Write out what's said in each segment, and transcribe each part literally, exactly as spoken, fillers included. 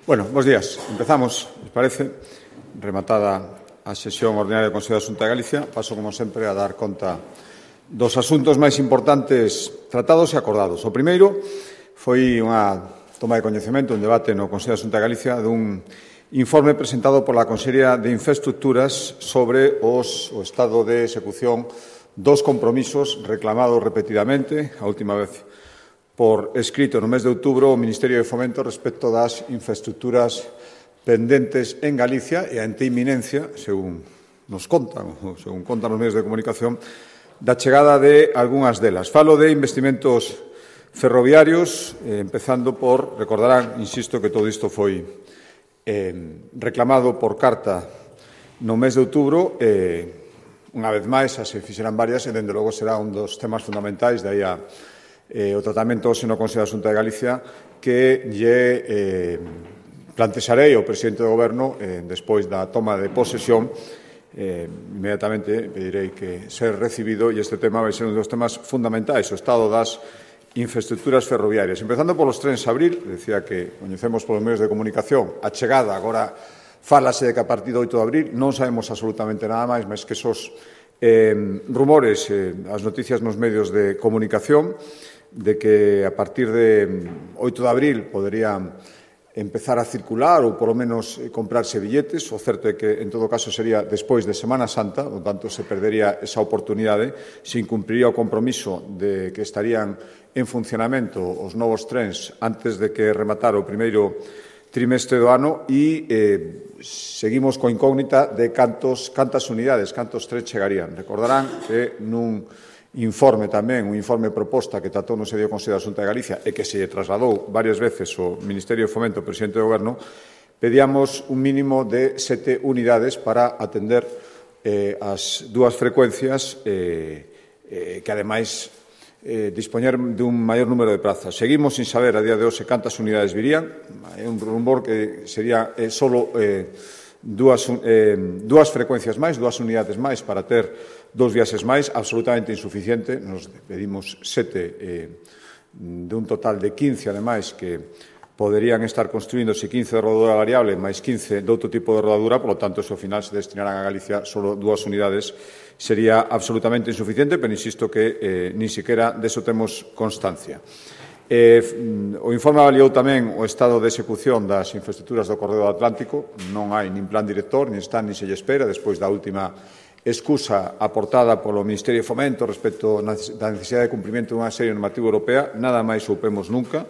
Bueno, bos días. Empezamos, me parece, rematada a sesión ordinaria do Consello de Xunta de Galicia. Paso, como sempre, a dar conta dos asuntos máis importantes tratados e acordados. O primeiro foi unha toma de coñecemento, un debate no Consello de Xunta de Galicia dun informe presentado pola Consellería de Infraestructuras sobre os, o estado de execución dos compromisos reclamados repetidamente, a última vez por escrito no mes de outubro o Ministerio de Fomento respecto das infraestructuras pendentes en Galicia e a ante inminencia, según nos contan, ou según contan os medios de comunicación, da chegada de algunhas delas. Falo de investimentos ferroviarios, eh, empezando por, recordarán, insisto, que todo isto foi eh, reclamado por carta no mes de outubro, eh, unha vez máis, as se fixeran varias, e, dende logo, será un dos temas fundamentais, de aí a Eh, o tratamento hoxe no Consello da Xunta de Galicia que lle eh, plantexarei ao presidente do Goberno eh, despois da toma de posesión. Eh, inmediatamente pedirei que ser recibido e este tema vai ser un dos temas fundamentais, o estado das infraestructuras ferroviarias. Empezando polos trens Abril, decía que coñecemos polos medios de comunicación a chegada, agora fálase de que a partir do oito de abril, non sabemos absolutamente nada máis, máis que esos eh, rumores, eh, as noticias nos medios de comunicación, de que a partir de oito de abril poderían empezar a circular ou, polo menos, comprarse billetes. O certo é que, en todo caso, sería despois de Semana Santa, por tanto, se perdería esa oportunidade, se incumpriría o compromiso de que estarían en funcionamento os novos trens antes de que rematara o primeiro trimestre do ano e eh, seguimos coa incógnita de cantos, cantas unidades, cantos trens chegarían. Recordarán que nun informe tamén, un informe proposta que tratou no sedio Consello da Xunta de Galicia e que se trasladou varias veces ao Ministerio de Fomento, ao presidente do Goberno, pedíamos un mínimo de sete unidades para atender eh, as dúas frecuencias eh, eh, que, ademais, eh, dispoñer dun maior número de prazas. Seguimos sin saber a día de hoxe cantas unidades virían. É un rumor que sería eh, solo eh, dúas, eh, dúas frecuencias máis, dúas unidades máis para ter dos viaxes máis, absolutamente insuficiente. Nos pedimos sete eh, de un total de quince, ademais, que poderían estar construíndose quince de rodadura variable máis quince de outro tipo de rodadura, polo tanto, se ao final se destinarán a Galicia solo dúas unidades, sería absolutamente insuficiente, pero insisto que eh, nin siquiera deso temos constancia. Eh, o informe avaliou tamén o estado de execución das infraestructuras do Corredor Atlántico. Non hai nin plan director, nin está, nin se lle espera, despois da última excusa aportada polo Ministerio de Fomento respecto da necesidade de cumprimento dunha serie normativa europea. Nada máis soupemos nunca,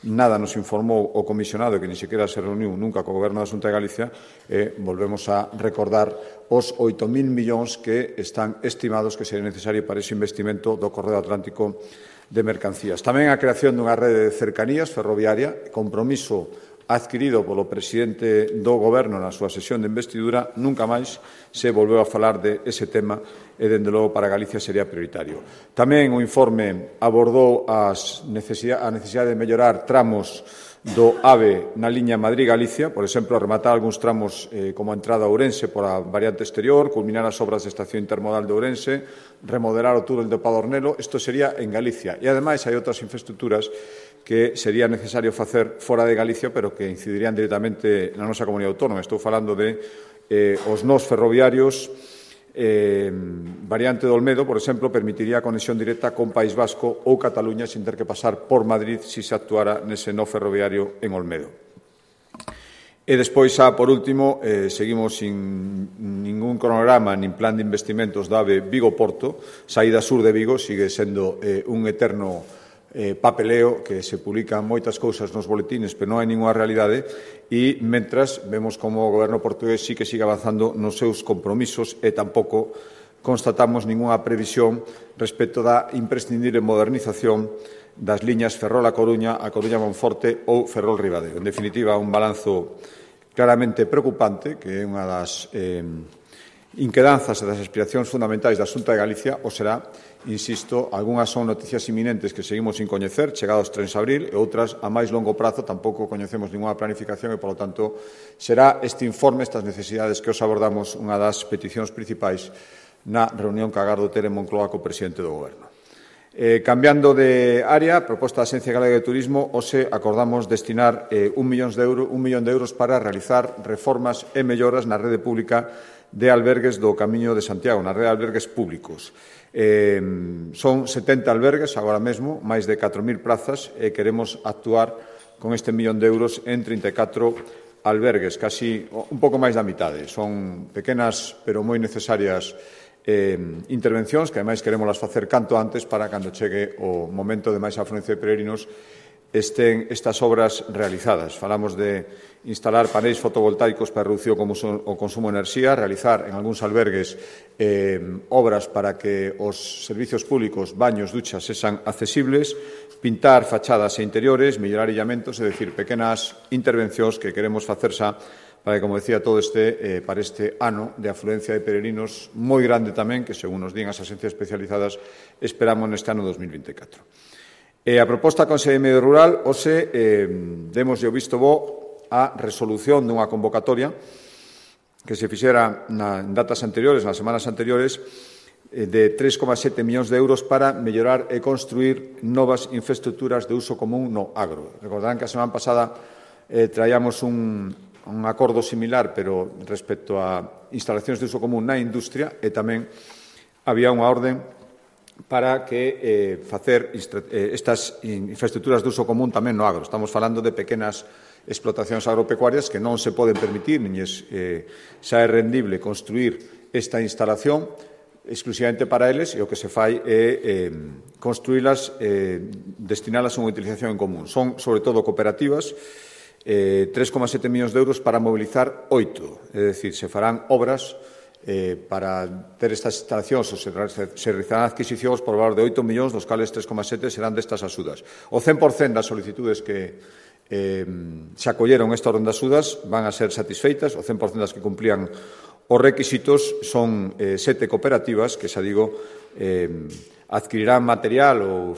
nada nos informou o comisionado, que ni sequera se reuniu nunca co Goberno da Xunta de Galicia, e volvemos a recordar os oito mil millóns que están estimados que sería necesario para ese investimento do Corredor Atlántico de mercancías. Tamén a creación dunha rede de cercanías ferroviaria, compromiso adquirido polo presidente do Goberno na súa sesión de investidura. Nunca máis se volveu a falar de ese tema e, dende logo, para Galicia sería prioritario. Tamén o informe abordou as necesidade, a necesidade de mellorar tramos do AVE na liña Madrid-Galicia, por exemplo, rematar algúns tramos eh, como a entrada a Ourense por a variante exterior, culminar as obras de estación intermodal de Ourense, remodelar o túnel de Padornelo. Isto sería en Galicia. E, ademais, hai outras infraestructuras que sería necesario facer fora de Galicia, pero que incidirían directamente na nosa comunidade autónoma. Estou falando de eh, os nós ferroviarios. Eh, variante do Olmedo, por exemplo, permitiría a conexión directa con País Vasco ou Cataluña sin ter que pasar por Madrid se se actuara nese no ferroviario en Olmedo. E despois, xa, por último, eh, seguimos sin ningún cronograma nin plan de investimentos da AVE Vigo-Porto. Saída sur de Vigo sigue sendo eh, un eterno eh, papeleo que se publican moitas cousas nos boletines, pero non hai ninguna realidade, e mentras vemos como o Goberno portugués sí que sigue avanzando nos seus compromisos e tampouco constatamos ninguna previsión respecto da imprescindible modernización das liñas Ferrol-A Coruña, a Coruña-Monforte ou Ferrol-Ribadeo. En definitiva, un balanzo claramente preocupante, que é unha das eh, inquedanzas e das aspiracións fundamentais da Xunta de Galicia, ou será, insisto, algunhas son noticias inminentes que seguimos sin coñecer, chegados trens Abril, e outras a máis longo prazo tampouco coñecemos ninguna planificación e, polo tanto, será este informe, estas necesidades que os abordamos, unha das peticións principais na reunión que agardo ter en Moncloa co presidente do Goberno. Eh, cambiando de área, proposta da Axencia Galega de Turismo, hoxe acordamos destinar eh, un, millón de euro, un millón de euros para realizar reformas e melloras na rede pública de albergues do Camiño de Santiago, na rede de albergues públicos. Eh, son setenta albergues agora mesmo, máis de catro mil prazas, e queremos actuar con este millón de euros en trinta e catro albergues, casi un pouco máis da mitade. Son pequenas, pero moi necesarias Eh, intervencións que, ademais, queremos facer canto antes para, cando chegue o momento de máis afluencia de peregrinos, estén estas obras realizadas. Falamos de instalar paneis fotovoltaicos para reducir o consumo, o consumo de enerxía, realizar en algúns albergues eh, obras para que os servicios públicos, baños, duchas, sexan accesibles, pintar fachadas e interiores, mellorar illamentos, é dicir, pequenas intervencións que queremos facer xa para que, como decía, todo este, eh, para este ano de afluencia de peregrinos moi grande tamén, que, según nos din as axencias especializadas, esperamos neste ano dos mil vinte e catro. E a proposta da Consellería de Medio Rural, hoxe, eh, demos o visto bo a resolución dunha convocatoria que se fixera na, en datas anteriores, nas semanas anteriores, eh, de tres coma sete millóns de euros para mellorar e construir novas infraestructuras de uso común no agro. Recordarán que a semana pasada eh, traíamos un un acordo similar, pero respecto a instalacións de uso común na industria, e tamén había unha orden para que eh, facer eh, estas infraestructuras de uso común tamén no agro. Estamos falando de pequenas explotacións agropecuarias que non se poden permitir, nin eh, xa é rendible construir esta instalación exclusivamente para eles, e o que se fai é eh, construílas, eh, destinalas a unha utilización en común. Son, sobre todo, cooperativas. Eh, tres coma sete millóns de euros para mobilizar oito, é dicir, se farán obras eh, para ter estas instalacións ou se, se realizarán adquisicións por valor de oito millóns, dos cales tres coma sete serán destas axudas. O cen por cento das solicitudes que eh, se acolleron esta orden de axudas van a ser satisfeitas, o cen por cento das que cumplían os requisitos. Son eh, sete cooperativas que, xa digo, eh, adquirirán material ou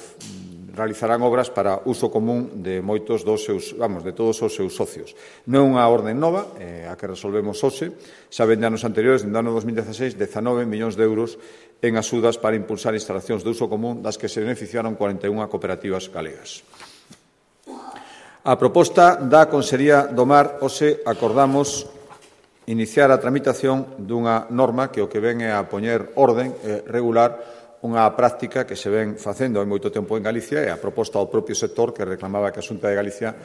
realizarán obras para uso común de moitos dos seus, vamos, de todos os seus socios. Non é unha orden nova, eh, a que resolvemos hoxe, xa ven de anos anteriores, no ano dos mil dieciséis, dezanove millóns de euros en axudas para impulsar instalacións de uso común, das que se beneficiaron cuarenta e unha cooperativas galegas. A proposta da Consellería do Mar, hoxe acordamos iniciar a tramitación dunha norma que o que ven é a poñer orden e regular unha práctica que se ven facendo hai moito tempo en Galicia, e a proposta do propio sector que reclamaba que a Xunta de Galicia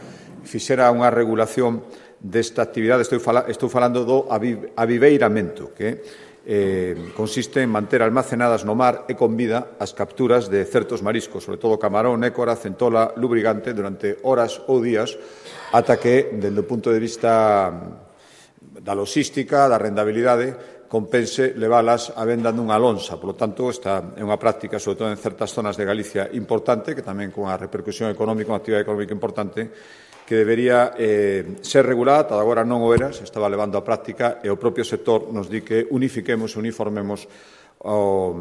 fixera unha regulación desta actividade. Estou, fala, estou falando do aviveiramento, que eh, consiste en manter almacenadas no mar e con vida as capturas de certos mariscos, sobre todo camarón, écora, centola, lubrigante, durante horas ou días, ata que, dende o punto de vista da logística, da rendabilidade, compense leválas a venda nunha lonxa. Por lo tanto, esta é unha práctica, sobre todo en certas zonas de Galicia, importante, que tamén con a repercusión económica, unha actividade económica importante, que debería eh, ser regulada. Ata agora non o era, se estaba levando a práctica, e o propio sector nos di que unifiquemos, uniformemos o,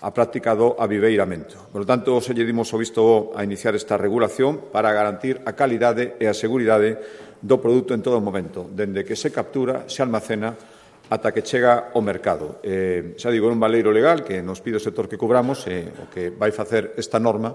a práctica do aviveiramento. Por lo tanto, se lle dimos o visto a iniciar esta regulación para garantir a calidade e a seguridade do produto en todo momento, dende que se captura, se almacena, ata que chega ao mercado. Eh, xa digo, é un baleiro legal que nos pide o sector que cubramos, e eh, o que vai facer esta norma,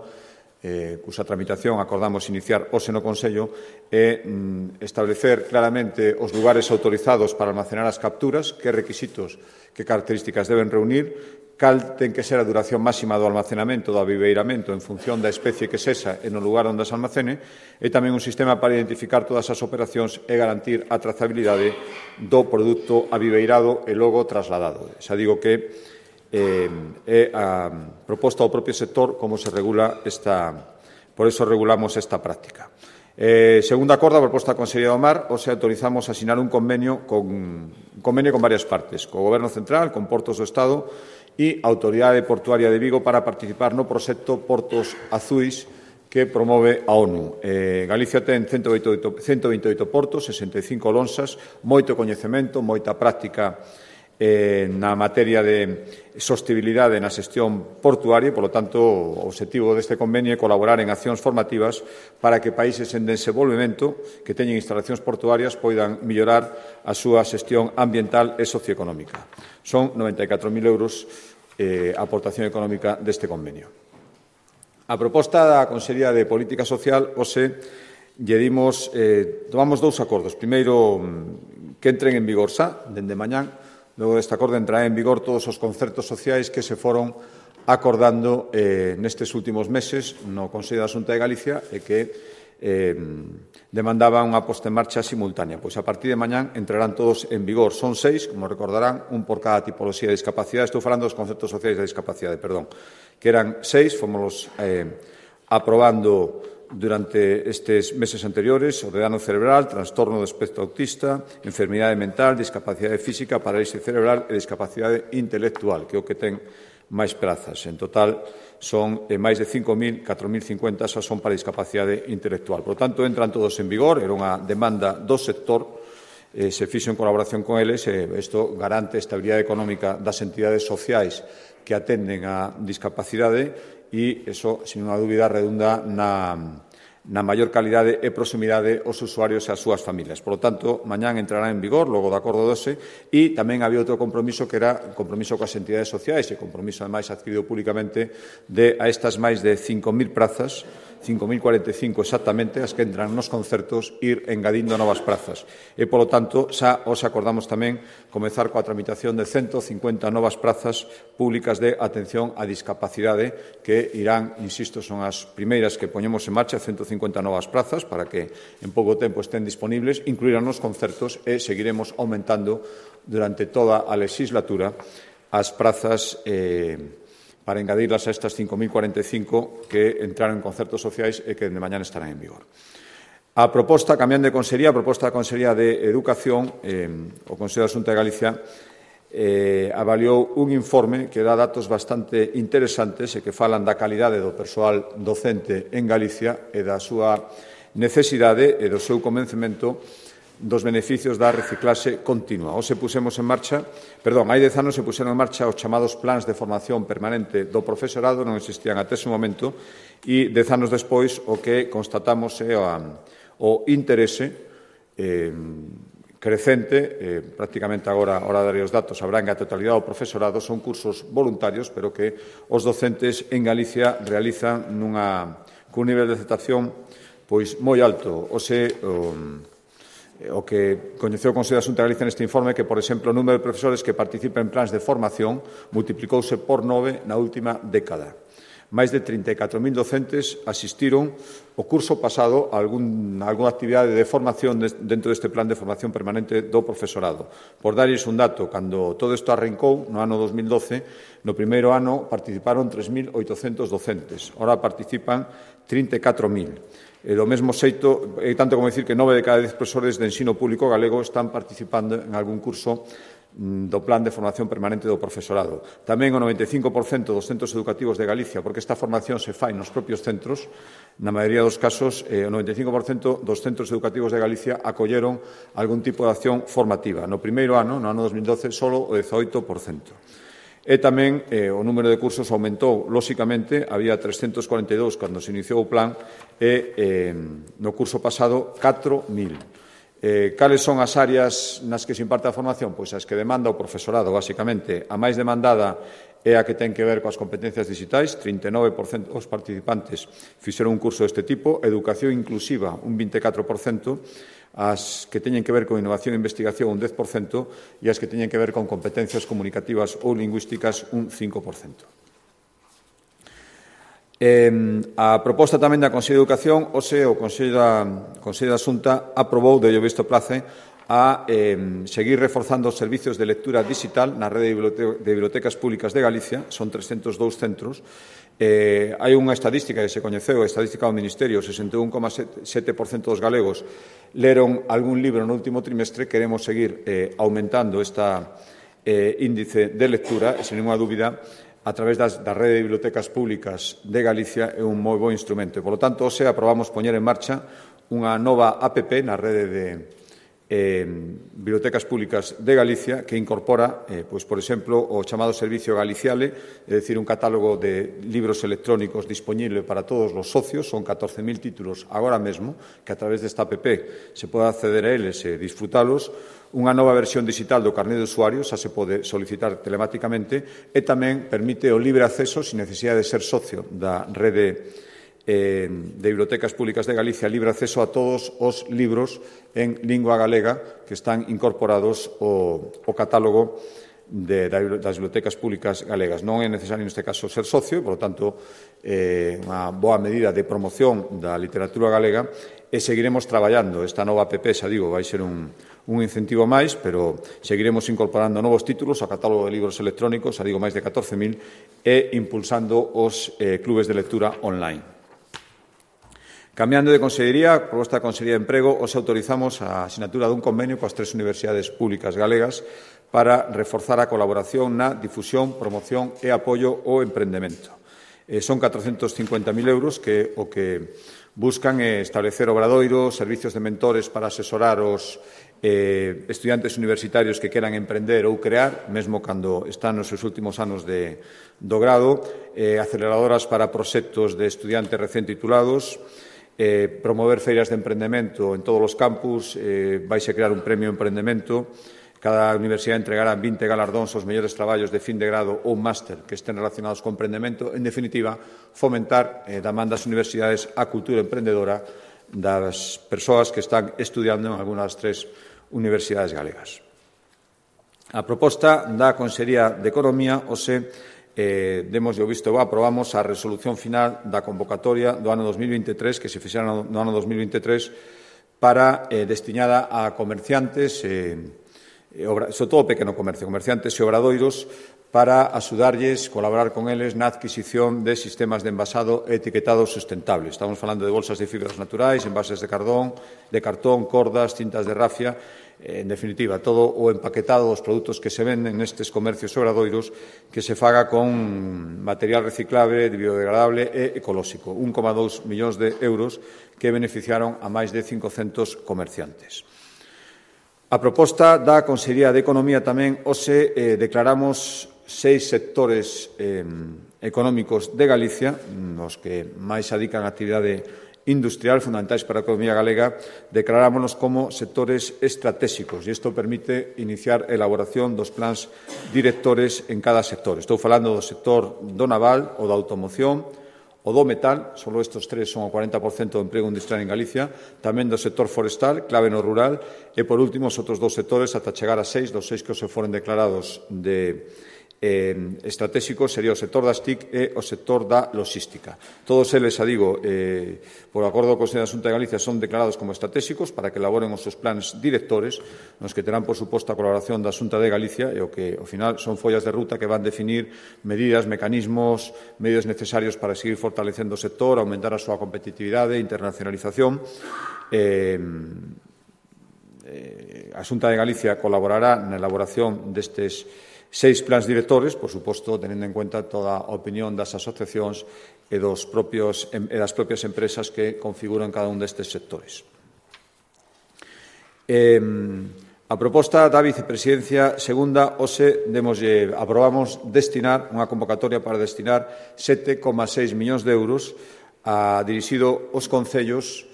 eh, cusa tramitación acordamos iniciar hoxe no Consello, é mm, establecer claramente os lugares autorizados para almacenar as capturas, que requisitos, que características deben reunir, cal ten que ser a duración máxima do almacenamento, do aviveiramento, en función da especie que sexa e no lugar onde se almacene, e tamén un sistema para identificar todas as operacións e garantir a trazabilidade do produto aviveirado e logo trasladado. Xa digo que eh, é a proposta do propio sector como se regula esta, por eso regulamos esta práctica. Eh, segunda acordo, a proposta da Consellería do Mar, hoxe autorizamos a asinar un convenio con, un convenio con varias partes, co Goberno Central, con Portos do Estado e a Autoridade Portuaria de Vigo, para participar no proxecto Portos Azuis que promove a ONU. Eh, Galicia ten ciento vinte e oito portos, sesenta e cinco lonxas, moito coñecemento, moita práctica eh, na materia de sostibilidade na xestión portuaria, e, polo tanto, o obxectivo deste convenio é colaborar en accións formativas para que países en desenvolvemento que teñen instalacións portuarias poidan mellorar a súa xestión ambiental e socioeconómica. Son noventa e catro mil euros eh, a aportación económica deste convenio. A proposta da Consellería de Política Social, hoxe, lle dimos, eh, tomamos dous acordos. Primeiro, que entren en vigor xa, dende mañán. Logo deste acordo entrará en vigor todos os concertos sociais que se foron acordando eh, nestes últimos meses no Consello da Xunta de Galicia e que eh, demandaban unha posta en marcha simultánea. Pois a partir de mañán entrarán todos en vigor. Son seis, como recordarán, un por cada tipoloxía de discapacidade. Estou falando dos conceptos sociais da discapacidade, perdón. Que eran seis, fomos eh, aprobando durante estes meses anteriores: o de dano cerebral, trastorno do espectro autista, enfermidade mental, discapacidade física, parálisis cerebral e discapacidade intelectual, que é o que ten máis prazas. En total, son eh, máis de cinco mil, catro mil cincuenta xa son para discapacidade intelectual. Por tanto, entran todos en vigor, era unha demanda do sector, eh, se fixo en colaboración con eles, e isto garante a estabilidade económica das entidades sociais que atenden a discapacidade e, iso, sin unha dúbida, redunda na na maior calidade e proximidade aos usuarios e ás súas familias. Por lo tanto, mañán entrará en vigor, logo do acordo doce, e tamén había outro compromiso que era o compromiso coas entidades sociais e compromiso, ademais, adquirido públicamente de a estas máis de cinco mil prazas, cinco mil cuarenta e cinco exactamente, as que entran nos concertos, ir engadindo novas prazas. E, polo tanto, xa os acordamos tamén comezar coa tramitación de ciento cincuenta novas prazas públicas de atención á discapacidade que irán, insisto, son as primeiras que poñemos en marcha, ciento cincuenta novas prazas para que en pouco tempo estén disponibles, incluirán nos concertos e seguiremos aumentando durante toda a legislatura as prazas eh, para engadirlas a estas cinco mil cuarenta e cinco que entraron en concertos sociais e que de mañana estarán en vigor. A proposta, cambiando de consellería, a proposta da Consellería de Educación, eh, o Consello da Xunta de Galicia eh, avaliou un informe que dá datos bastante interesantes e que falan da calidade do persoal docente en Galicia e da súa necesidade e do seu convencemento dos beneficios da reciclaxe continua. Hoxe pusemos en marcha, perdón, hai dez anos se puseron en marcha os chamados plans de formación permanente do profesorado, non existían até ese momento, e dez anos despois o que constatamos é o interese eh, crecente, eh, prácticamente agora, a hora de dar os datos, abrangue a totalidade do profesorado, son cursos voluntarios, pero que os docentes en Galicia realizan nunha, cun nivel de aceptación pois moi alto. Ose, um, o que coñeceu o Consello da Xunta de Galicia neste informe que, por exemplo, o número de profesores que participan en plans de formación multiplicouse por nove na última década. Máis de trinta e catro mil docentes asistiron o curso pasado a algún, alguna actividade de formación dentro deste plan de formación permanente do profesorado. Por darlles un dato, cando todo isto arrancou, no ano dos mil doce, no primeiro ano participaron tres mil oitocentos docentes. Ora participan trinta e catro mil. E do mesmo xeito, é tanto como dicir que nove de cada dez profesores de ensino público galego están participando en algún curso do plan de formación permanente do profesorado. Tamén o noventa e cinco por cento dos centros educativos de Galicia, porque esta formación se fai nos propios centros, na maioría dos casos, eh, o noventa e cinco por cento dos centros educativos de Galicia acolleron algún tipo de acción formativa. No primeiro ano, no ano dos mil doce, solo o dezaoito por cento. E tamén eh, o número de cursos aumentou, lóxicamente, había trescentos cuarenta e dous cando se iniciou o plan e eh, no curso pasado catro mil. Eh, cales son as áreas nas que se imparte a formación? Pois as que demanda o profesorado, basicamente. A máis demandada é a que ten que ver coas competencias digitais, trinta e nove por cento dos participantes fixeron un curso deste tipo, educación inclusiva, un vinte e catro por cento, as que teñen que ver con innovación e investigación, un dez por cento, e as que teñen que ver con competencias comunicativas ou lingüísticas, un cinco por cento. Eh, a proposta tamén da Consello de Educación, hoxe o Consello da, Consello da Xunta aprobou, de ello visto place, a eh, seguir reforzando os servizos de lectura digital na rede de bibliotecas públicas de Galicia, son trescentos dous centros. Eh, hai unha estadística que se coñeceu, a estadística do Ministerio, sesenta e un coma sete por cento dos galegos leron algún libro no último trimestre. Queremos seguir eh, aumentando este eh, índice de lectura, e, sen ninguna dúbida, a través das, da rede de bibliotecas públicas de Galicia é un moi bo instrumento. Por lo tanto, hoxe aprobamos poñer en marcha unha nova app na rede de eh, Bibliotecas Públicas de Galicia, que incorpora, eh, pois, por exemplo, o chamado Servicio Galiciale, é dicir, un catálogo de libros electrónicos disponible para todos os socios, son catorce mil títulos agora mesmo, que a través desta app se pode acceder a eles e disfrutalos, unha nova versión digital do carné de usuarios, xa se pode solicitar telemáticamente, e tamén permite o libre acceso, sin necesidade de ser socio da rede de Bibliotecas Públicas de Galicia, libre acceso a todos os libros en lingua galega que están incorporados ao, ao catálogo de, das Bibliotecas Públicas Galegas. Non é necesario, neste caso, ser socio, por lo tanto, é eh, unha boa medida de promoción da literatura galega e seguiremos traballando. Esta nova app, xa digo, vai ser un, un incentivo máis, pero seguiremos incorporando novos títulos ao catálogo de libros electrónicos, xa digo, máis de catorce mil, e impulsando os eh, clubes de lectura online. Cambiando de consellería, proposta da Consellería de Emprego, os autorizamos a sinatura dun convenio coas tres universidades públicas galegas para reforzar a colaboración na difusión, promoción e apoio ao emprendemento. Eh, son catrocentos cincuenta mil euros que o que buscan é establecer obradoiros, servicios de mentores para asesorar os eh, estudiantes universitarios que queran emprender ou crear, mesmo cando están nos seus últimos anos de, do grado, eh, aceleradoras para proxectos de estudiantes recén titulados, Eh, promover feiras de emprendemento en todos os campus, eh, vaise crear un premio emprendemento, cada universidade entregará vinte galardóns aos mellores traballos de fin de grado ou máster que estén relacionados con emprendemento, en definitiva, fomentar eh, da man das universidades a cultura emprendedora das persoas que están estudiando en algunhas das tres universidades galegas. A proposta da Consellería de Economía, o se Eh, demos o visto, aprobamos a resolución final da convocatoria do ano dos mil veintitrés, que se fixera no, no ano dos mil veintitrés, para eh, destinada a comerciantes, eh, obra, sobre todo pequeno comercio, comerciantes e obradoiros, para axudarlles, colaborar con eles na adquisición de sistemas de envasado e etiquetado sustentable. Estamos falando de bolsas de fibras naturais, envases de cartón, de cartón, cordas, cintas de rafia. En definitiva, todo o empaquetado dos produtos que se venden nestes comercios obradoiros que se faga con material reciclable, biodegradable e ecolóxico. un coma dous millóns de euros que beneficiaron a máis de cincocentos comerciantes. A proposta da Consellería de Economía tamén hoxe eh, declaramos seis sectores eh, económicos de Galicia, nos que máis se adican a actividade industrial, fundamentais para a economía galega, declarámonos como sectores estratégicos e isto permite iniciar a elaboración dos plans directores en cada sector. Estou falando do sector do naval, o da automoción, o do metal, só estes tres son o cuarenta por cento do emprego industrial en Galicia, tamén do sector forestal, clave no rural, e, por último, os outros dous sectores, ata chegar a seis, dos seis que se foren declarados de Eh, estratégico sería o sector das T I C e o sector da logística. Todos eles, xa digo, eh, por acordo do Consello da Xunta de Galicia, son declarados como estratégicos para que elaboren os seus plans directores, nos que terán, por suposto, a colaboración da Xunta de Galicia e o que, ao final, son follas de ruta que van definir medidas, mecanismos, medios necesarios para seguir fortalecendo o sector, aumentar a súa competitividade, internacionalización. Eh, eh, a Xunta de Galicia colaborará na elaboración destes seis plans directores, por suposto, teniendo en cuenta toda a opinión das asociacións e, dos propios, e das propias empresas que configuran cada un destes sectores. Eh, a proposta da vicepresidencia segunda, hoxe, demoslle, aprobamos destinar unha convocatoria para destinar sete coma seis millóns de euros a dirixido aos concellos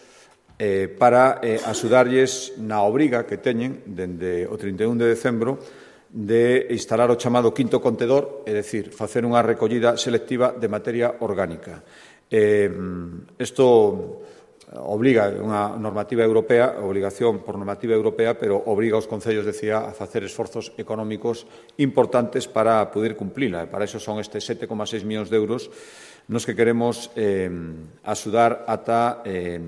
eh, para eh, axudarlles na obriga que teñen dende o trinta e un de decembro de instalar o chamado quinto contedor, é dicir, facer unha recollida selectiva de materia orgánica. Eh, isto obriga unha normativa europea, obligación por normativa europea, pero obriga aos concellos, decía, a facer esforzos económicos importantes para poder cumplila. E para iso son estes sete coma seis millóns de euros nos que queremos eh, axudar ata eh,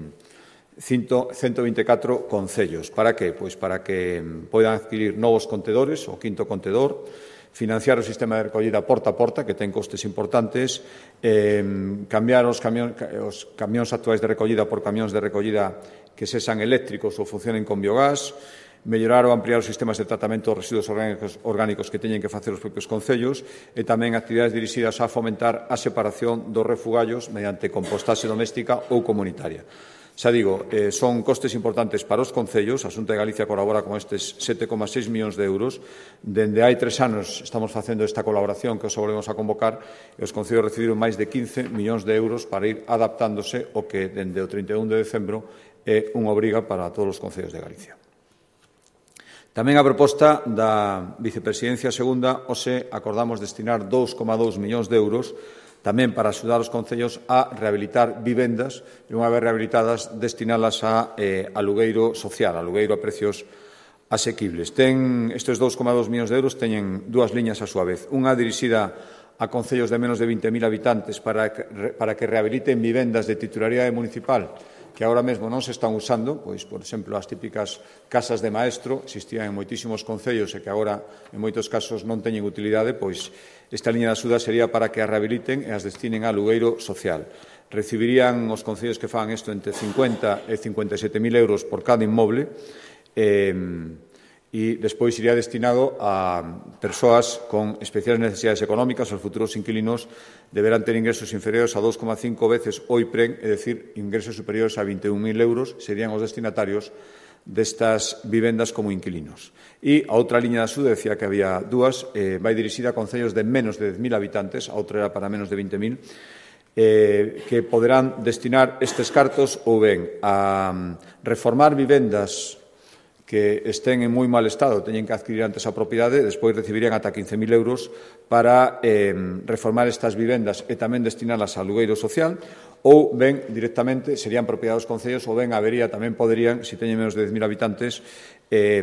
cento vinte e catro concellos. Para que? Pois para que poidan adquirir novos contedores, o quinto contedor, financiar o sistema de recollida porta a porta, que ten costes importantes, eh, cambiar os, camión, os camións actuais de recollida por camións de recollida que sexan eléctricos ou funcionen con biogás, mellorar ou ampliar os sistemas de tratamento dos residuos orgánicos, orgánicos que teñen que facer os propios concellos e tamén actividades dirixidas a fomentar a separación dos refugallos mediante compostaxe doméstica ou comunitaria. Xa digo, eh, son costes importantes para os concellos. A Xunta de Galicia colabora con estes sete coma seis millóns de euros. Dende hai tres anos estamos facendo esta colaboración que os volvemos a convocar e os concellos recibiron máis de quince millóns de euros para ir adaptándose o que dende o trinta e un de decembro é unha obriga para todos os concellos de Galicia. Tamén a proposta da Vicepresidencia Segunda, hoxe acordamos destinar dous coma dous millóns de euros tamén para axudar os concellos a rehabilitar vivendas e, unha vez rehabilitadas, destinalas a eh, alugueiro social, alugueiro a precios asequibles. Ten, estes dous coma dous millóns de euros teñen dúas liñas a súa vez. Unha dirixida a concellos de menos de vinte mil habitantes para que, para que rehabiliten vivendas de titularidade municipal que agora mesmo non se están usando, pois, por exemplo, as típicas casas de maestro, existían en moitísimos concellos e que agora, en moitos casos, non teñen utilidade, pois esta liña de axuda sería para que as rehabiliten e as destinen a alugueiro social. Recibirían os concellos que fan isto entre cincuenta e cincuenta e sete mil euros por cada inmoble eh, e despois iría destinado a persoas con especiales necesidades económicas. Os futuros inquilinos deberán ter ingresos inferiores a dos coma cinco veces o I P R E N, é dicir, ingresos superiores a vinte e un mil euros, serían os destinatarios destas vivendas como inquilinos. E a outra liña de axuda, decía que había dúas, eh, vai dirixida a concellos de menos de dez mil habitantes, a outra era para menos de vinte mil, eh, que poderán destinar estes cartos ou ben a reformar vivendas que estén en moi mal estado, teñen que adquirir antes a propiedade, despois recibirían ata quince mil euros para eh, reformar estas vivendas e tamén destinalas a alugueiro social, ou ben directamente serían propiedade dos concellos, ou ben habería, tamén poderían, se teñen menos de dez mil habitantes, eh,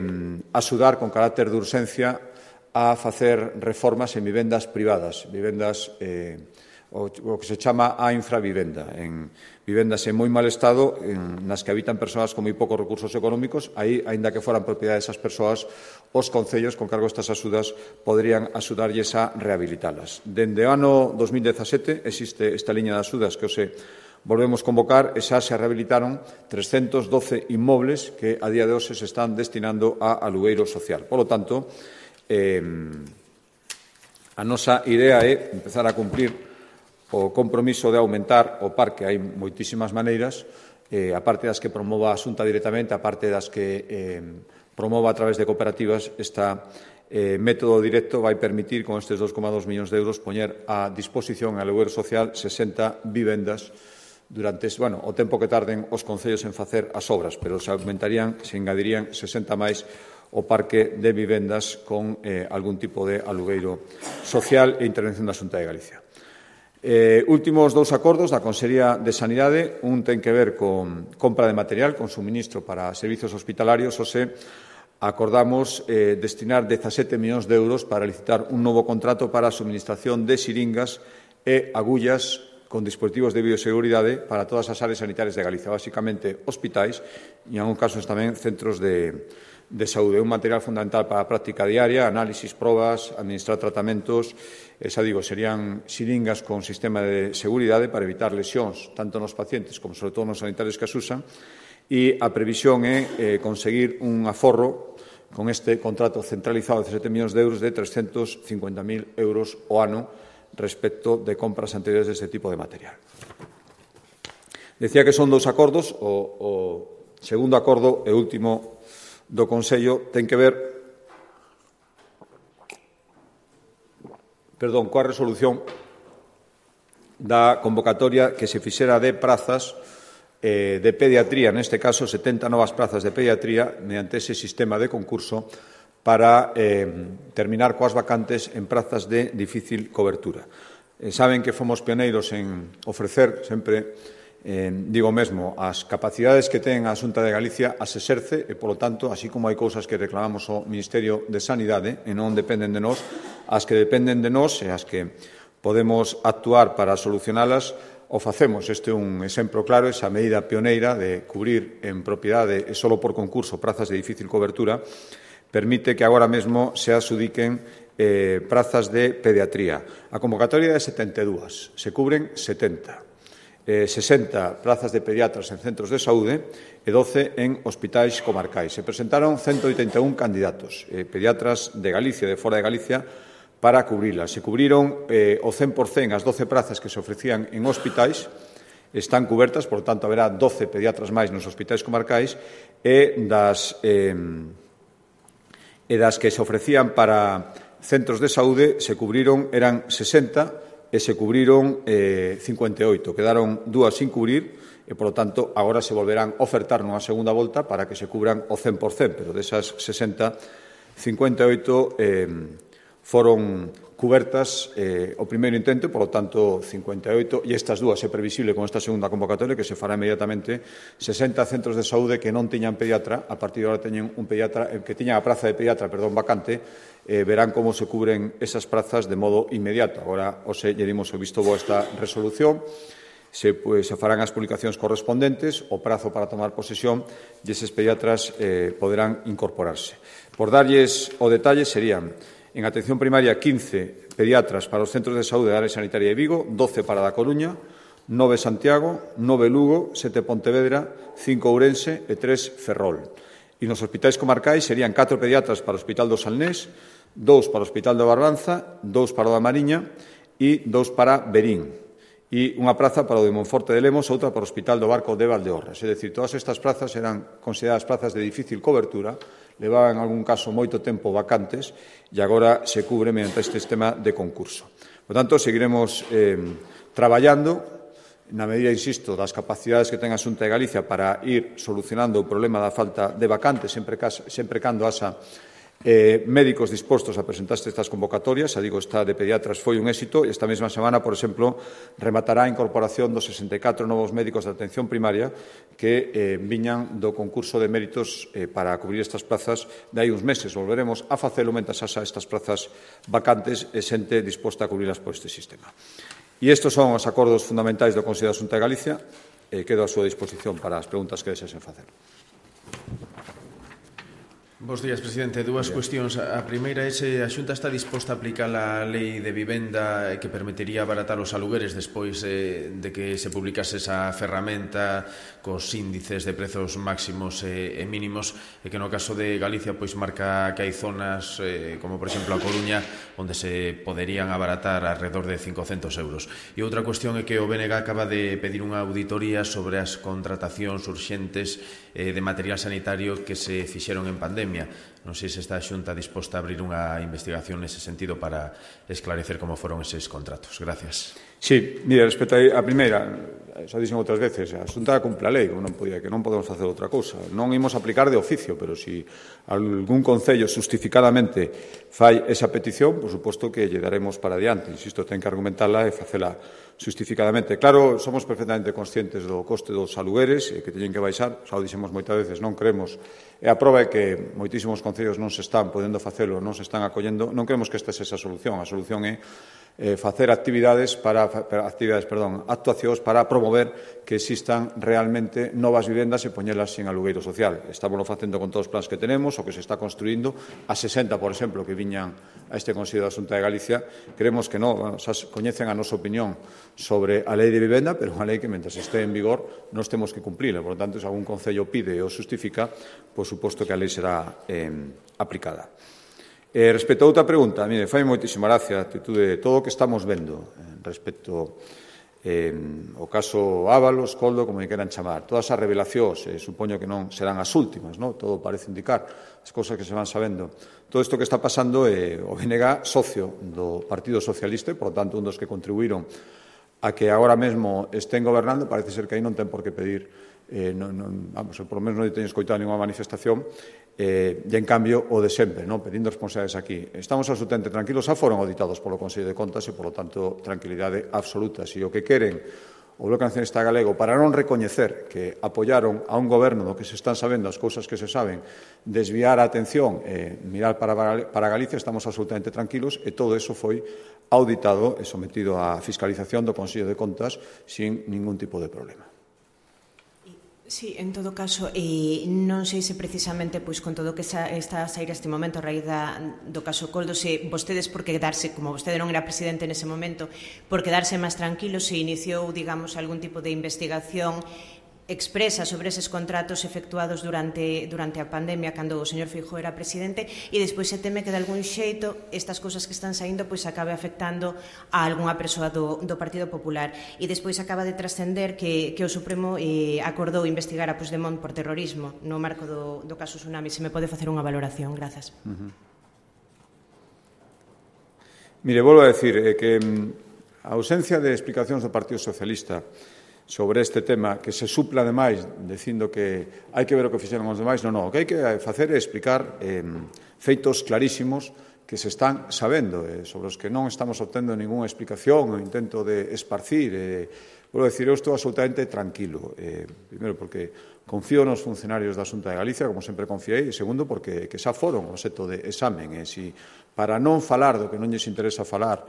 axudar con carácter de urxencia a facer reformas en vivendas privadas, vivendas eh, o, o que se chama a infravivenda, en vivendas en moi mal estado, en, nas que habitan persoas con moi poucos recursos económicos. Aí, aínda que foran propiedade desas persoas, os concellos, con cargo a estas axudas, poderían axudarlles a rehabilitalas. Dende o ano dos mil dezasete existe esta liña de axudas que hoxe volvemos convocar e xa se rehabilitaron trescentos doce inmobles que a día de hoxe se están destinando a alugueiro social. Por lo tanto, eh, a nosa idea é empezar a cumplir o compromiso de aumentar o parque. Hai moitísimas maneiras, eh, a parte das que promova a Xunta directamente, a parte das que eh, promova a través de cooperativas, esta eh, método directo vai permitir, con estes dos coma dous millóns de euros, poñer a disposición en alugueiro social sesenta vivendas durante, bueno, o tempo que tarden os concellos en facer as obras, pero se aumentarían, se engadirían sesenta máis o parque de vivendas con eh, algún tipo de alugueiro social e intervención da Xunta de Galicia. Eh, últimos dous acordos da Consellería de Sanidade. Un ten que ver con compra de material, con suministro para servizos hospitalarios. Ose acordamos eh, destinar dezasete millóns de euros para licitar un novo contrato para a suministración de xiringas e agullas con dispositivos de bioseguridade para todas as áreas sanitarias de Galicia, basicamente hospitais e, en algúns casos, tamén centros de, de saúde. Un material fundamental para a práctica diaria, análisis, probas, administrar tratamentos. Esa, digo, serían xiringas con sistema de seguridade para evitar lesións tanto nos pacientes como, sobre todo, nos sanitarios que as usan. E a previsión é eh, conseguir un aforro con este contrato centralizado de dezasete millóns de euros de trescentos cincuenta mil euros o ano respecto de compras anteriores deste tipo de material. Decía que son dous acordos. O, o segundo acordo e último do Consello ten que ver perdón, coa resolución da convocatoria que se fixera de prazas eh, de pediatría, neste caso setenta novas prazas de pediatría mediante ese sistema de concurso para eh, terminar coas vacantes en prazas de difícil cobertura. Eh, saben que fomos pioneiros en ofrecer sempre, eh, digo mesmo, as capacidades que ten a Xunta de Galicia as exerce e, polo tanto, así como hai cousas que reclamamos ao Ministerio de Sanidade e non dependen de nós, as que dependen de nós e as que podemos actuar para solucionalas, o facemos. Este é un exemplo claro, esa medida pioneira de cubrir en propiedade e solo por concurso prazas de difícil cobertura, permite que agora mesmo se adxudiquen eh, prazas de pediatría. A convocatoria é de setenta e dúas, se cubren setenta. Eh, sesenta plazas de pediatras en centros de saúde e doce en hospitais comarcais. Se presentaron ciento oitenta e un candidatos, eh, pediatras de Galicia e de fora de Galicia, para cubrilas. Se cubriron eh, o cen por cen as doce prazas que se ofrecían en hospitais están cubertas, por tanto, haberá doce pediatras máis nos hospitais comarcais e das, eh, e das que se ofrecían para centros de saúde se cubriron, eran sesenta e se cubriron eh, cincuenta e oito. Quedaron dúas sin cubrir e, por lo tanto, agora se volverán a ofertar nunha segunda volta para que se cubran o cen por cen, pero desas sesenta, cincuenta e oito eh, foron cubertas eh, o primeiro intento, por lo tanto, cincuenta e oito, e estas dúas é previsible con esta segunda convocatoria que se fará inmediatamente, sesenta centros de saúde que non tiñan pediatra, a partir de agora teñen un pediatra, que tiñan a praza de pediatra, perdón, vacante, eh, verán como se cubren esas prazas de modo inmediato. Agora, ose, lle dimos o visto bo a esta resolución, se, pues, se farán as publicacións correspondentes, o prazo para tomar posesión e eses pediatras eh, poderán incorporarse. Por darlles o detalle, serían en atención primaria quince pediatras para os centros de saúde da área sanitaria de Vigo, doce para da Coruña, nove Santiago, nove Lugo, sete Pontevedra, cinco Ourense e tres Ferrol. E nos hospitais comarcais serían catro pediatras para o Hospital do Salnés, dous para o Hospital de Barbanza, dous para o da Mariña e dous para Verín. E unha praza para o de Monforte de Lemos, outra para o Hospital do Barco de Valdeorras. É dicir, todas estas prazas eran consideradas prazas de difícil cobertura, levaban en algún caso moito tempo vacantes e agora se cubre mediante este sistema de concurso. Por tanto, seguiremos eh, traballando na medida, insisto, das capacidades que ten a Xunta de Galicia para ir solucionando o problema da falta de vacantes sempre, sempre cando haxa Eh, médicos dispostos a presentarse estas convocatorias. A digo, esta de pediatras foi un éxito e esta mesma semana, por exemplo, rematará a incorporación dos sesenta e catro novos médicos de atención primaria que eh, viñan do concurso de méritos eh, para cubrir estas plazas de hai uns meses. Volveremos a facelo mentres haxa estas plazas vacantes e xente disposta a cubrirlas por este sistema. E estes son os acordos fundamentais do Consello da Xunta de Galicia. Eh, quedo a súa disposición para as preguntas que desexen facer. Bos días, presidente. Dúas cuestións. A primeira é se a Xunta está disposta a aplicar a lei de vivenda que permitiría abaratar os alugueres despois eh, de que se publicase esa ferramenta cos índices de prezos máximos e, e mínimos e que no caso de Galicia pois marca que hai zonas eh, como por exemplo a Coruña onde se poderían abaratar alrededor de cincocentos euros. E outra cuestión é que o B N G acaba de pedir unha auditoría sobre as contratacións urxentes eh, de material sanitario que se fixeron en pandemia. Non sei se está a Xunta disposta a abrir unha investigación nese sentido para esclarecer como foron eses contratos. Gracias. Sí, mire, respecto a primeira, xa dixen outras veces, a Xunta cumpre a lei, non, podía, que non podemos facer outra cousa. Non imos aplicar de oficio, pero se si algún concello justificadamente fai esa petición, por suposto que lle daremos para adiante. Insisto, ten que argumentarla e facela justificadamente. Claro, somos perfectamente conscientes do coste dos alugueres e que teñen que baixar, xa o dixemos moitas veces, non creemos, e a proba é que moitísimos concellos non se están podendo facelo, non se están acollendo, non creemos que esta sexa a solución, a solución é eh, facer actividades para, para actividades, perdón, actuacións para promover que existan realmente novas vivendas e poñelas en alugueiro social. Estamos facendo con todos os plans que tenemos, o que se está construindo, a sesenta, por exemplo, que viñan a este Consello da Xunta de Galicia, creemos que non, bueno, xa coñecen a nosa opinión sobre a lei de vivenda, pero unha lei que, mentre este en vigor, nós temos que cumplirla. Por lo tanto, se algún concello pide ou justifica, por suposto que a lei será eh, aplicada. Eh, respecto a outra pregunta, mire, fai moitísima gracia a actitude de todo o que estamos vendo eh, respecto eh, ao caso Ábalos, Coldo, como lle queran chamar. Todas as revelacións, eh, supoño que non serán as últimas, non? Todo parece indicar as cousas que se van sabendo. Todo isto que está pasando é eh, o B N G socio do Partido Socialista e, por lo tanto, un dos que contribuíron a que agora mesmo estén gobernando, parece ser que aí non ten por que pedir, eh, non, non, vamos, por lo menos non teño escoitado ninguna manifestación, eh, e, en cambio, o de sempre, non? Pedindo responsabilidades aquí. Estamos absolutamente tranquilos, xa foron auditados polo Consello de Contas e, por lo tanto, tranquilidade absoluta. Se o que queren o Bloque Nacionalista Galego, para non recoñecer que apoiaron a un goberno do que se están sabendo as cousas que se saben, desviar a atención e mirar para, para Galicia, estamos absolutamente tranquilos e todo eso foi auditado e sometido á fiscalización do Consello de Contas sin ningún tipo de problema. Sí, en todo caso, eh, non sei se precisamente pois con todo o que está a sair este momento a raíz da, do caso Coldo, se vostedes por quedarse, como vostede non era presidente nese momento, por quedarse máis tranquilos, se iniciou, digamos, algún tipo de investigación expresa sobre eses contratos efectuados durante, durante a pandemia cando o señor Feijóo era presidente e despois se teme que de algún xeito estas cousas que están saindo pois acabe afectando a algunha persoa do, do Partido Popular e despois acaba de trascender que, que o Supremo eh, acordou investigar a Puigdemont por terrorismo no marco do, do caso Tsunami. Se me pode facer unha valoración, grazas. Uh-huh. Mire, volvo a decir eh, que a ausencia de explicacións do Partido Socialista sobre este tema, que se supla ademais dicindo que hai que ver o que fixeron os demais, non, non, o que hai que facer é explicar eh, feitos clarísimos que se están sabendo, eh, sobre os que non estamos obtendo ninguna explicación ou intento de esparcir. Eh, Vou dicir, eu estou absolutamente tranquilo. Eh, primeiro, porque confío nos funcionarios da Xunta de Galicia, como sempre confiei, e segundo, porque que xa foron obxecto de examen. E si, para non falar do que non lles interesa falar,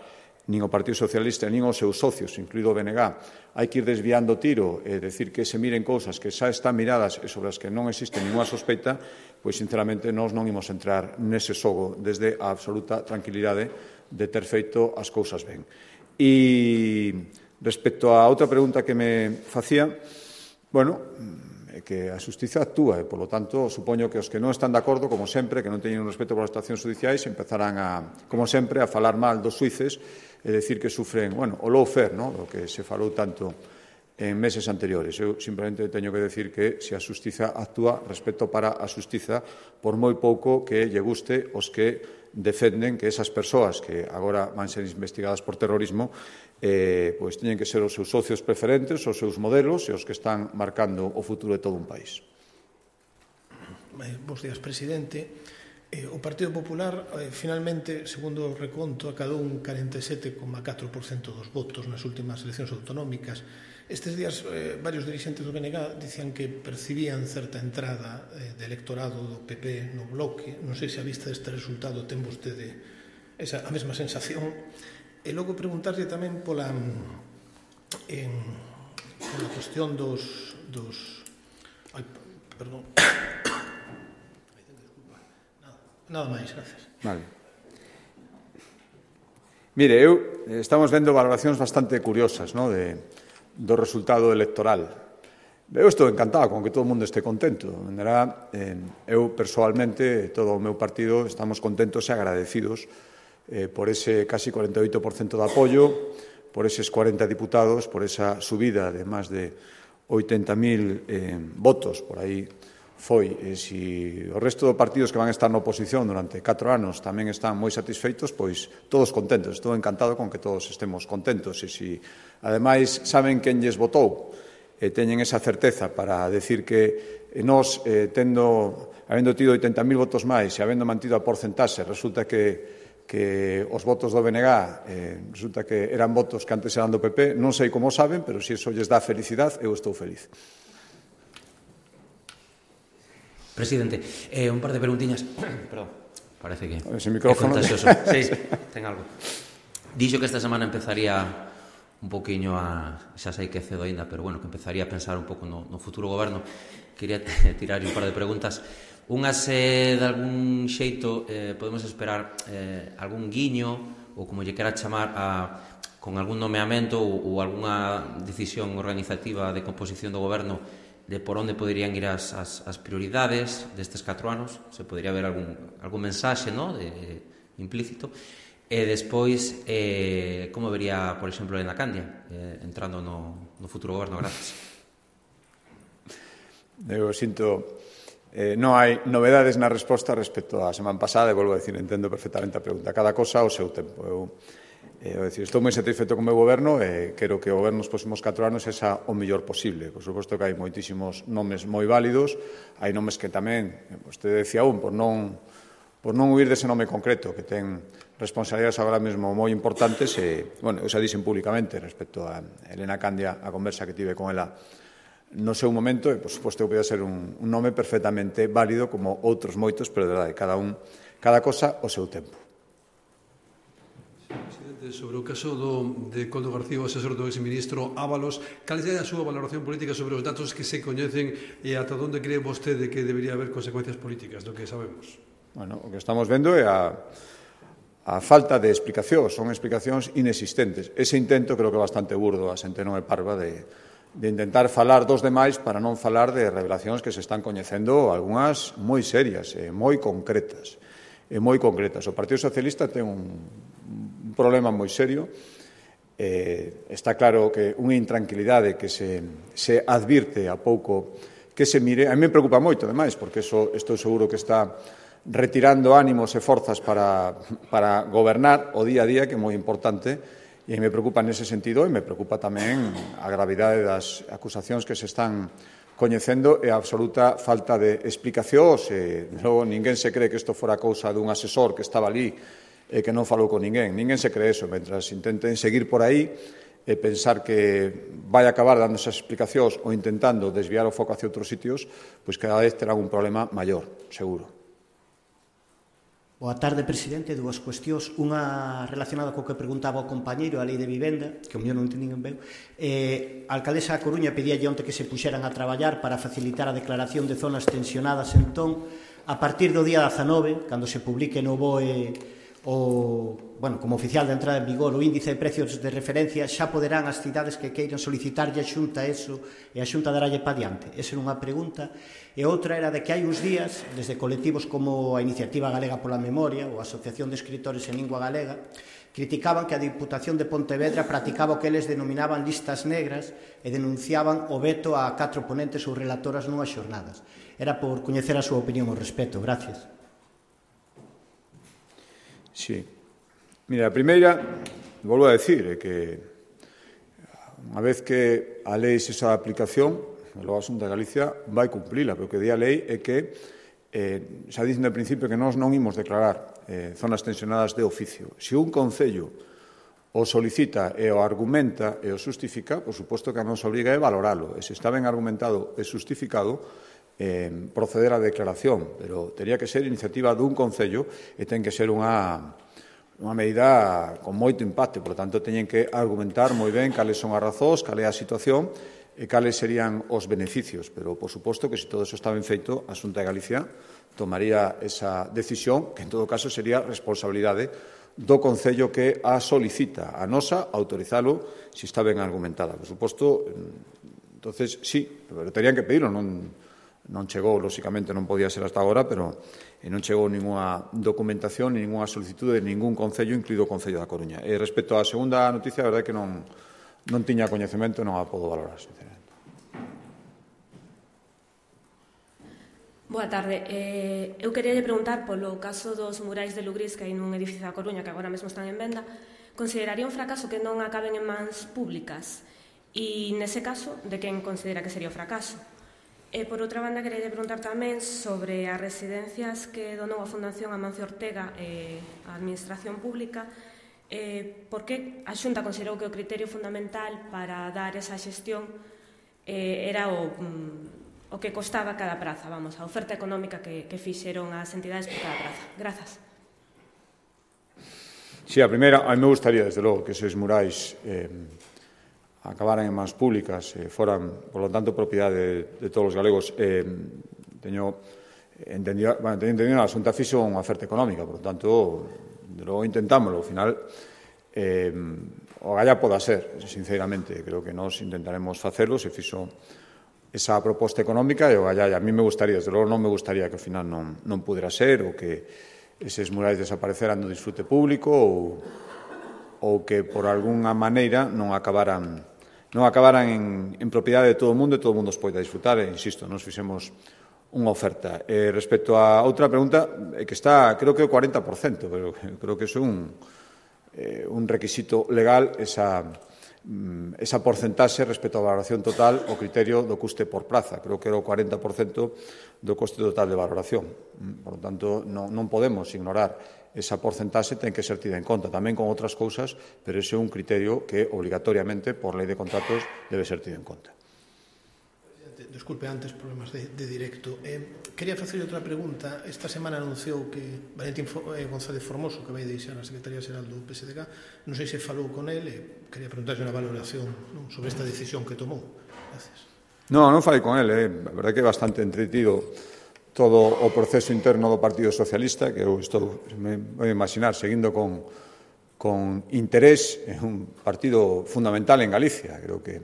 nin o Partido Socialista, nin os seus socios, incluído o B N G, hai que ir desviando tiro e decir que se miren cousas que xa están miradas e sobre as que non existe ninguna sospeita, pois, sinceramente, nós non imos entrar nese xogo desde a absoluta tranquilidade de ter feito as cousas ben. E respecto a outra pregunta que me facía, bueno, é que a xustiza actúa e, polo tanto, supoño que os que non están de acordo, como sempre, que non teñen un respeto polas actuacións judiciais, empezarán, a, como sempre, a falar mal dos xuíces e decir que sufren, bueno, o lawfare, ¿no?, o que se falou tanto en meses anteriores. Eu simplemente teño que decir que se a xustiza actúa, respeto para a xustiza, por moi pouco que lle guste os que defenden que esas persoas que agora van ser investigadas por terrorismo eh, pois teñen que ser os seus socios preferentes, os seus modelos e os que están marcando o futuro de todo un país. Bos días, presidente. Eh, o Partido Popular, eh, finalmente, segundo o reconto, acadou un corenta e sete coma catro por cento dos votos nas últimas eleccións autonómicas. Estes días, eh, varios dirixentes do B N G dicían que percibían certa entrada eh, de electorado do P P no bloque. Non sei se a vista deste resultado ten vostede esa, a mesma sensación. E logo preguntarlle tamén pola, en, pola cuestión dos... dos ai, perdón. Nada máis, gracias. Vale. Mire, eu, estamos vendo valoracións bastante curiosas, ¿no?, de, do resultado electoral. Eu estou encantado con que todo o mundo este contento. Vendrá, eh, eu, persoalmente, todo o meu partido, estamos contentos e agradecidos eh, por ese casi cuarenta e oito por cento de apoio, por eses cuarenta diputados, por esa subida de máis de oitenta mil eh, votos, por aí foi. E se o resto dos partidos que van estar na oposición durante catro anos tamén están moi satisfeitos, pois todos contentos. Estou encantado con que todos estemos contentos. E se, ademais, saben quen lles votou e teñen esa certeza para decir que nós, eh, tendo, habendo tido oitenta mil votos máis e habendo mantido a porcentaxe, resulta que, que os votos do B N G eh, resulta que eran votos que antes eran do P P, non sei como saben, pero se iso lles dá felicidade, eu estou feliz. Presidente, eh, un par de preguntiñas. Perdón, parece que ese micrófono é contagioso. Sí, ten algo. Dixo que esta semana empezaría un poquinho a... Xa sei que é cedo ainda, pero bueno, que empezaría a pensar un pouco no, no futuro goberno. Quería tirar un par de preguntas. Unhas, eh, de algún xeito, eh, podemos esperar eh, algún guiño, ou como lle quera chamar, a, con algún nomeamento ou, ou algunha decisión organizativa de composición do goberno de por onde poderían ir as, as, as prioridades destes catro anos, se podería haber algún, algún mensaxe, ¿no?, de, implícito, e despois eh, como vería, por exemplo, Elena Candia eh, entrando no, no futuro goberno. Gracias. Eu sinto, eh, non hai novedades na resposta respecto á semana pasada, e volvo a decir, entendo perfectamente a pregunta, cada cosa ao seu tempo. Eu É dicir, estou moi satisfeito con o meu goberno e quero que o goberno nos próximos catro anos sexa o mellor posible. Por suposto que hai moitísimos nomes moi válidos, hai nomes que tamén, vostede decía un, por non, por non huir dese nome concreto, que ten responsabilidades agora mesmo moi importantes, e, bueno, eu xa dixen públicamente respecto a Elena Candia, a conversa que tive con ela no seu momento, e, por suposto, que podía ser un, un nome perfectamente válido como outros moitos, pero de verdade, cada un, cada cosa o seu tempo. Presidente, sobre o caso do, de Coldo García, o asesor do exministro Ábalos, cal é a súa valoración política sobre os datos que se coñecen e ata onde cree vostede que debería haber consecuencias políticas do que sabemos? Bueno, o que estamos vendo é a, a falta de explicacións, son explicacións inexistentes. Ese intento creo que é bastante burdo, a xente non é parva de, de intentar falar dos demais para non falar de revelacións que se están coñecendo, algunhas moi serias e moi concretas. E moi concretas. O Partido Socialista ten un, un problema moi serio. Eh, está claro que unha intranquilidade que se, se advirte a pouco que se mire. A mí me preocupa moito, ademais, porque eso estou seguro que está retirando ánimos e forzas para, para gobernar o día a día, que é moi importante, e me preocupa nese sentido, e me preocupa tamén a gravidade das acusacións que se están coñecendo e a absoluta falta de explicacións. E, logo, ninguén se cree que isto fora cousa dun asesor que estaba ali e que non falou con ninguén. Ninguén se cree eso. Mentras intenten seguir por aí e pensar que vai acabar dando esas explicacións ou intentando desviar o foco hacia outros sitios, pois cada vez terán un problema maior, seguro. Boa tarde, presidente. Dúas cuestións. Unha relacionada co que preguntaba o compañeiro, a lei de vivenda, que o mellor non entendín ben. Eh, a alcaldesa da Coruña pedía onte que se puxeran a traballar para facilitar a declaración de zonas tensionadas. Entón, a partir do día dezanove, cando se publique no B O E o, bueno, como oficial de entrada en vigor o índice de precios de referencia, xa poderán as cidades que queiran solicitarlle a Xunta eso e a Xunta daralle pa diante. Esa era unha pregunta. E outra era de que hai uns días, desde colectivos como a Iniciativa Galega pola Memoria ou a Asociación de Escritores en Lingua Galega, criticaban que a Diputación de Pontevedra practicaba o que eles denominaban listas negras e denunciaban o veto a catro ponentes ou relatoras nunhas xornadas. Era por coñecer a súa opinión ao respecto. Gracias. Sí. Mira, a primeira, volvo a decir, é que unha vez que a lei se xa de aplicación, logo a Xunta de Galicia vai cumplila, pero o que di a lei é que eh, xa dicen de principio que nós non imos declarar eh, zonas tensionadas de oficio. Se un concello o solicita e o argumenta e o justifica, por suposto que a nos obriga a valoralo. E se está ben argumentado e justificado, eh, proceder á declaración, pero teria que ser iniciativa dun concello e ten que ser unha, unha medida con moito impacto, por tanto, teñen que argumentar moi ben cales son as razóns, cal é a situación e cales serían os beneficios, pero, por suposto, que se todo eso está ben feito, a Xunta de Galicia tomaría esa decisión, que en todo caso sería responsabilidade do Concello que a solicita, a nosa autorizalo se está ben argumentada. Por suposto, entonces, sí, pero terían que pedirlo, non, non chegou, lóxicamente non podía ser hasta agora, pero non chegou ninguna documentación, ninguna solicitud de ningún Concello, incluído o Concello da Coruña. E respecto á segunda noticia, a verdade é que non, non tiña coñecemento e non a podo valorar, sinceramente. Boa tarde. Eh, eu quería preguntar polo caso dos murais de Lugrís que hai nun edificio da Coruña que agora mesmo están en venda. Consideraría un fracaso que non acaben en mans públicas? E, nese caso, de quen considera que sería o fracaso? E, por outra banda, quería preguntar tamén sobre as residencias que donou a Fundación Amancio Ortega e a Administración Pública. Eh, por que a Xunta considerou que o criterio fundamental para dar esa xestión eh, era o, mm, o que costaba cada praza, vamos, a oferta económica que, que fixeron as entidades por cada praza? Grazas. Sí, a primeira, a mí me gustaría, desde logo, que eses murais eh, acabaran en mans públicas, eh, foran, por lo tanto, propiedade de, de todos os galegos. Eh, teño entendido, bueno, teño entendido a Xunta fixo unha oferta económica, por lo tanto, de logo intentámoslo. Ao final, eh, o galla poda ser, sinceramente, creo que nós intentaremos facelo, se fixo esa proposta económica e o galla, a mí me gustaría, desde logo non me gustaría que ao final non, non pudera ser, ou que eses murais desapareceran do disfrute público, ou, ou que por algunha maneira non acabaran non acabaran en, en propiedade de todo o mundo e todo o mundo os poida disfrutar, e, insisto, nos fixemos unha oferta. Eh, respecto a outra pregunta, eh, que está, creo que o cuarenta por cento, pero creo que é un, eh, un requisito legal, esa, mm, esa porcentaxe respecto á valoración total, o criterio do custe por praza. Creo que era o cuarenta por cento do coste total de valoración. Por lo tanto, non, non podemos ignorar esa porcentaxe, ten que ser tida en conta tamén con outras cousas, pero ese é un criterio que obligatoriamente, por lei de contratos, debe ser tido en conta. Desculpe, antes, problemas de, de directo. Eh, quería facer outra pregunta. Esta semana anunciou que Valentín eh, González Formoso, que vai deixar a Secretaría Xeral do P S D G, non sei se falou con ele, eh, quería preguntarlle unha valoración, non, sobre esta decisión que tomou. Gracias. Non, non falei con ele. Eh. A verdade que é bastante entretido todo o proceso interno do Partido Socialista, que eu estou, me vou imaginar, seguindo con, con interés, é un partido fundamental en Galicia. Creo que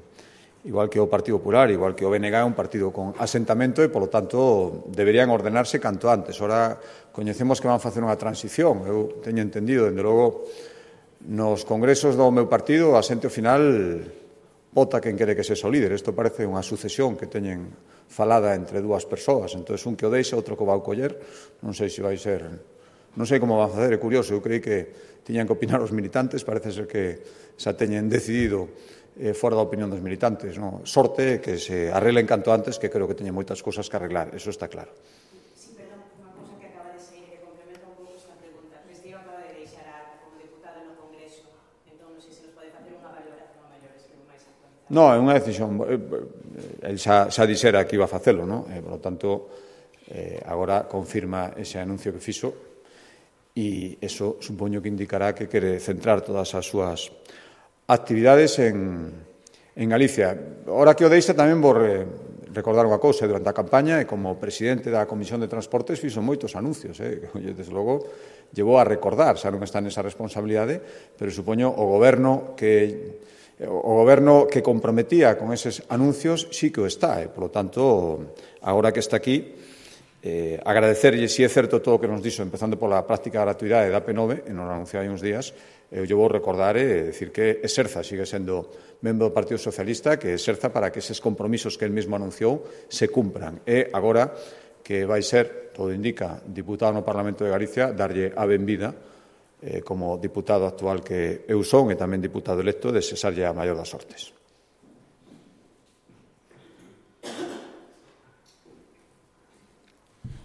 igual que o Partido Popular, igual que o B N G, é un partido con asentamento e, polo tanto, deberían ordenarse canto antes. Ora, coñecemos que van facer unha transición. Eu teño entendido, dende logo, nos congresos do meu partido, a xente ao final vota quen quere que sexa o líder. Isto parece unha sucesión que teñen falada entre dúas persoas. Entón, un que o deixa, outro que o vai coller. Non sei se vai ser... Non sei como van a facer, é curioso. Eu creí que tiñan que opinar os militantes. Parece ser que xa teñen decidido eh, fora da opinión dos militantes. No? Sorte que se arreglen canto antes, que creo que teñen moitas cousas que arreglar. Eso está claro. No, é unha decisión. El xa, xa dixera que iba a facelo, non? E, por lo tanto, eh, agora confirma ese anuncio que fixo e eso supoño que indicará que quere centrar todas as súas actividades en, en Galicia. Ahora que o deixa tamén vou re, recordar unha cousa. Durante a campaña e como presidente da Comisión de Transportes fixo moitos anuncios, eh? Desde logo llevou a recordar, xa non está nesa responsabilidade, pero supoño o goberno que o goberno que comprometía con eses anuncios sí que o está, e, polo tanto, agora que está aquí, eh, agradecerlle, si é certo todo o que nos dixo, empezando pola práctica gratuidade da P nove, e nos anunciou hai uns días, eu lle vou recordar e decir que exerza, sigue sendo membro do Partido Socialista, que exerza para que eses compromisos que el mesmo anunciou se cumpran. E agora que vai ser, todo indica, diputado no Parlamento de Galicia, darlle a benvida Eh, como diputado actual que eu son e tamén diputado electo, desexarlle a maior das sortes.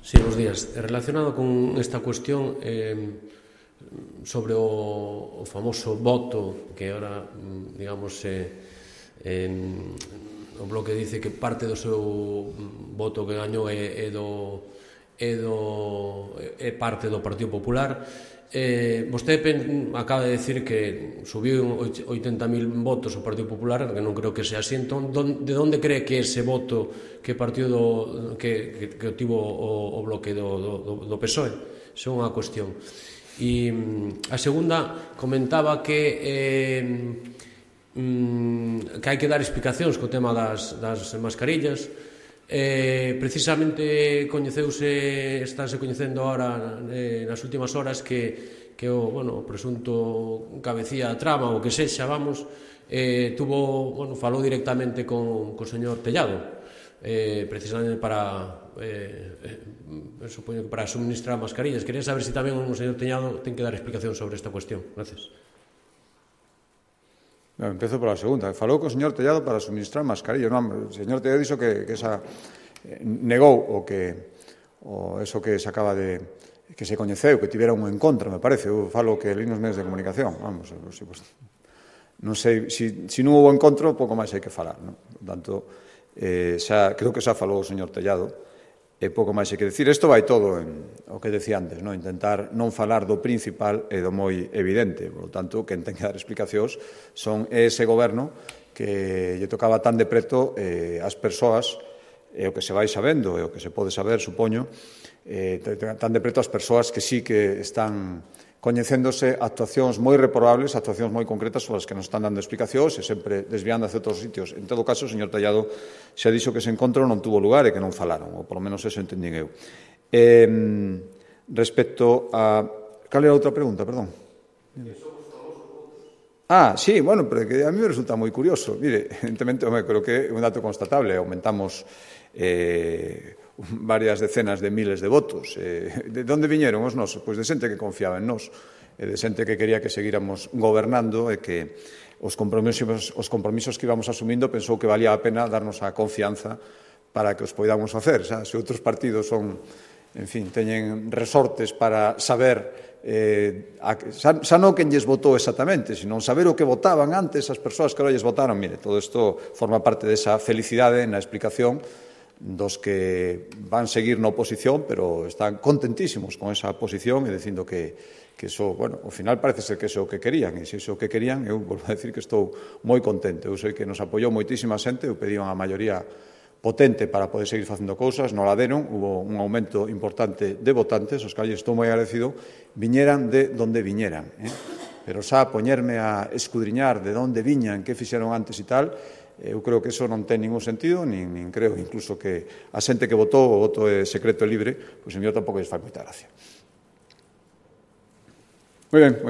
Sí, bons días. Relacionado con esta cuestión eh, sobre o, o famoso voto que ahora, digamos, eh, eh, o Bloque dice que parte do seu voto que gañou é, é do é do é parte do Partido Popular. Eh, vostede pen, acaba de decir que subiu oitenta mil votos o Partido Popular, que non creo que sea así. Entón, don, de onde cree que ese voto que partido do, que, que, que tivo o, o Bloque do, do, do P S O E? Esa é unha cuestión. E a segunda, comentaba que eh, mm, que hai que dar explicacións co tema das, das mascarillas. Eh, precisamente coñeceuse, estáse coñecendo ahora eh, nas últimas horas que, que o, bueno, o presunto cabecía da trama, o que sexa, vamos, eh, tuvo, bueno, falou directamente con, con o señor Tellado, eh, precisamente para eh, eh, supoño que para suministrar mascarillas. Quería saber se si tamén o señor Tellado ten que dar explicación sobre esta cuestión. Gracias. No, empezo pola segunda. Falou co señor Tellado para suministrar mascarilla. Non, o señor Tellado dixo que, que esa eh, negou o que o eso que se acaba de que se coñeceu, que tivera un encontro, me parece. Eu falo que li nos medios de comunicación. Vamos, si, pues, non sei, si, si non houve encontro, pouco máis hai que falar, non? Por tanto, eh, xa, creo que xa falou o señor Tellado. E pouco máis hai que decir. Isto vai todo en o que decía antes, non? Intentar non falar do principal e do moi evidente. Por lo tanto, quen ten que dar explicacións son ese goberno que lle tocaba tan de preto eh, as persoas, e o que se vai sabendo, e o que se pode saber, supoño, eh, tan de preto as persoas que sí que están coñecéndose actuacións moi reprobables, actuacións moi concretas sobre as que nos están dando explicacións e sempre desviando hacia outros sitios. En todo caso, o señor Tellado xa dixo que ese encontro non tuvo lugar e que non falaron, ou polo menos eso entendín eu. Eh, respecto a... Cal era a outra pregunta, perdón? Ah, sí, bueno, pero que a mí me resulta moi curioso. Mire, evidentemente, home, creo que é un dato constatable. Aumentamos eh, varias decenas de miles de votos. Eh, de onde viñeron os nosos? Pois de xente que confiaba en nós, e de xente que quería que seguíramos gobernando e que os compromisos, os compromisos que íbamos asumindo pensou que valía a pena darnos a confianza para que os poidamos facer. Xa, se outros partidos son, en fin, teñen resortes para saber eh, a, xa, xa non quen lles votou exactamente, sino saber o que votaban antes as persoas que ahora lles votaron. Mire, todo isto forma parte desa felicidade na explicación dos que van seguir na oposición, pero están contentísimos con esa posición e dicindo que, que eso, bueno, ao final parece ser que eso é o que querían, e se iso o que querían, eu volvo a decir que estou moi contento. Eu sei que nos apoiou moitísima xente, eu pedí unha maioría potente para poder seguir facendo cousas, non la deron, hubo un aumento importante de votantes, os que estou moi agradecido, viñeran de donde viñeran, eh? Pero xa poñerme a escudriñar de onde viñan, que fixeron antes e tal, eu creo que eso non ten ningún sentido, nin, nin creo incluso que a xente que votou, o voto é secreto e libre, pois a mí tampouco lles fai moita gracia. Moi ben.